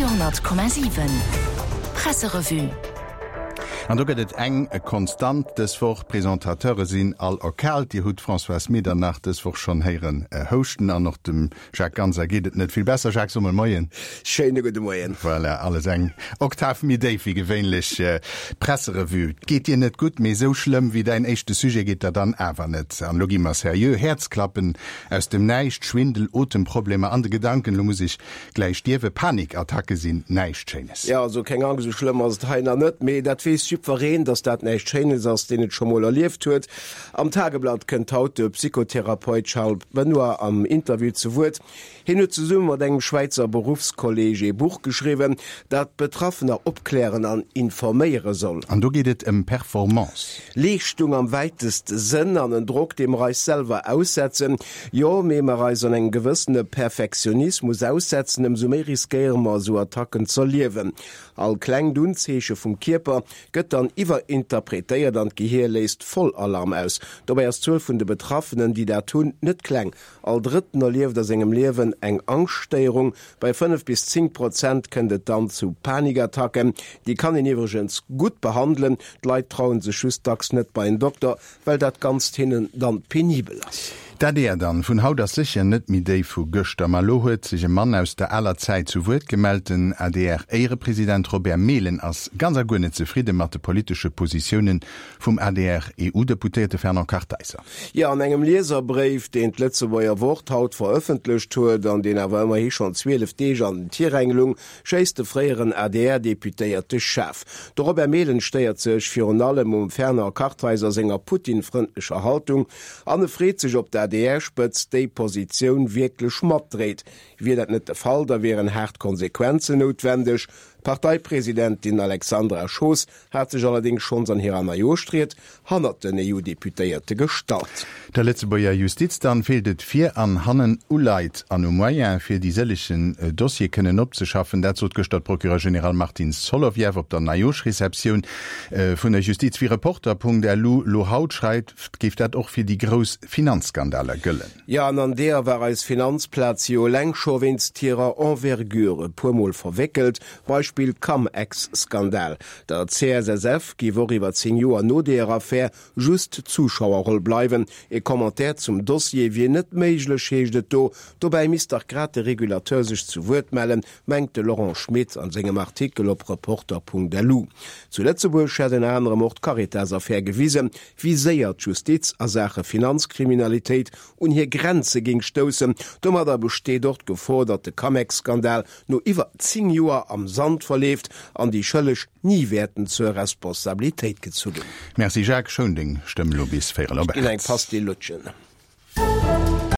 Radio 10,7 Presserevue. An do gëtt et eng Konstant dës Woch, D'Presentateure sinn all erkaalt. Dir hutt d'Françoise Medernach dës Woch schonn héieren houschten an och dem Jacques Ganser geet et net vill besser. Jacques Sommel, Moien. Schéine gudde Moien. Voilà, alles eng Oktav méi déif wéi gewéinlech. D'Presserevue geet dir net gutt, mee esou schlëmm wéi däin éischte Sujet geet der dann awer net. An elo gi mer seriö, Häerzklappen Aus dem Näischt, Schwindel, Otemproblemer an de Gedanken, lo muss ech gläich stierwen, Panikattacke sinn näischt Schéines. Jo, also keng Angscht, esou schlëmm ass et hei nach net, mee dat weess jiddwereen, dass dat näischt Schéines ass, deen et scho mol erlieft huet. Am Tageblatt kënnt haut de Psychotherapeut Charles Benoy am Interview zu Wuert. Hien huet zesumme mat engem Schwäizer Beruffskolleg ee Buch geschriwwen, dat Betraffener opklären an informéiere soll. An do geet et ëm Performance. Leeschtung am wäiteste Sënn an en Drock, dee mer eis selwer aussetzen. Jo, méi mer eis an engem gewëssene Perfektionismus aussetzen, ëmsou méi riskéiere mer esou Attacken z'erliewen. All klengt Unzeeche vum Kierper gëtt dann iwwerinterpretéiert an d'Gehier léist Vollalarm aus. Dobäi ass d'Zuel vun de Betraffenen, déi dat hunn, net kleng. All Drëtten erlieft a sengem Liewen eng Angschtstéierung. Bei 5 bis 10 Prozent kënnt et dann zu Panikattacken. Déi kann een iwwregens gutt behandelen. D'Leit trauen sech just dacks net bei en Dokter, well dat Ganzt hinnen dann penibel ass. D'ADR dann vun haut ass sécher net méi déi vu gëschter. Ma elo huet sech e Mann aus der aler Zäit zu Wuert gemellt. Den ADR-Éierepresident Robert Mehlen ass ganz a guer net zefridde mat de politesche Positiounen vum ADR-EU-Deputéierte Fernand Kartheiser. Jo, an engem Lieserbréif, deen d'Lëtzebuerger Wort haut verëffentlecht huet an deen awer ëmmerhi schonn 12 Deeg an den Tiräng lung, schéisst de fréieren ADR-Deputéierte schaarf. De Robert Mehlen stéiert sech virun allem um Fernand Kartheiser senger Putin-frëndlecher Haltung an e freet sech, ob d'ADR-Spëtzt déi Positioun wierklech matdréit. Wier dat net de Fall, da wieren haart Konsequenzen noutwendeg. D'Parteipresidentin Alexandra Schoos hat sech allerdéngs schonns an hirer Neijooschried hannert den EU-Deputéierte gestallt. Der Lëtzebuerger Justiz dann feelt et vir an hannen u Leit an u Moyen, fir déi sëllegen Dossiere kënnen opzeschaffen. Dat sot gëschter d'Procureure générale Martine Solovieff op der Neijooschreceptioun vun der Justiz. Wéi Reporter.lu lo haut schreift, géif dat och fir déi grouss Finanzskandaler gëllen. Jo, an an deeër war eis Finanzplaz jo eleng scho wéinst hirer Envergure e puermol verwéckelt, Beispill Cum-Ex-Skandal. Der CSSF géif och iwwer 10 Joer no deeër Affär just d'Zuschauerroll bleiwen. E Commentaire zum Dossier wier net méiglech, heescht et do. Dobäi misst dach grad de Regulateur sech zu Wuert mellen, mengt de Laurent Schmit an sengem Artikel op Reporter.lu. Zu Lëtzebuerg hätt ënner anerem och d'Caritas-Affär gewisen, wéi séier d'Justiz a Saache Finanzkriminalitéit un hir Grenze géing stoussen. Domadder besteet och d'Gefor, datt de Camex-Skandal no iwwer 10 Joer am Sand verleeft an déi Schëlleg ni wäerten zur Responsabilitéit gezu ginn. Merci Jacques, schoun deng Stëmm lo bis véierel op Ech ginn eng 8. Pastill lutschen.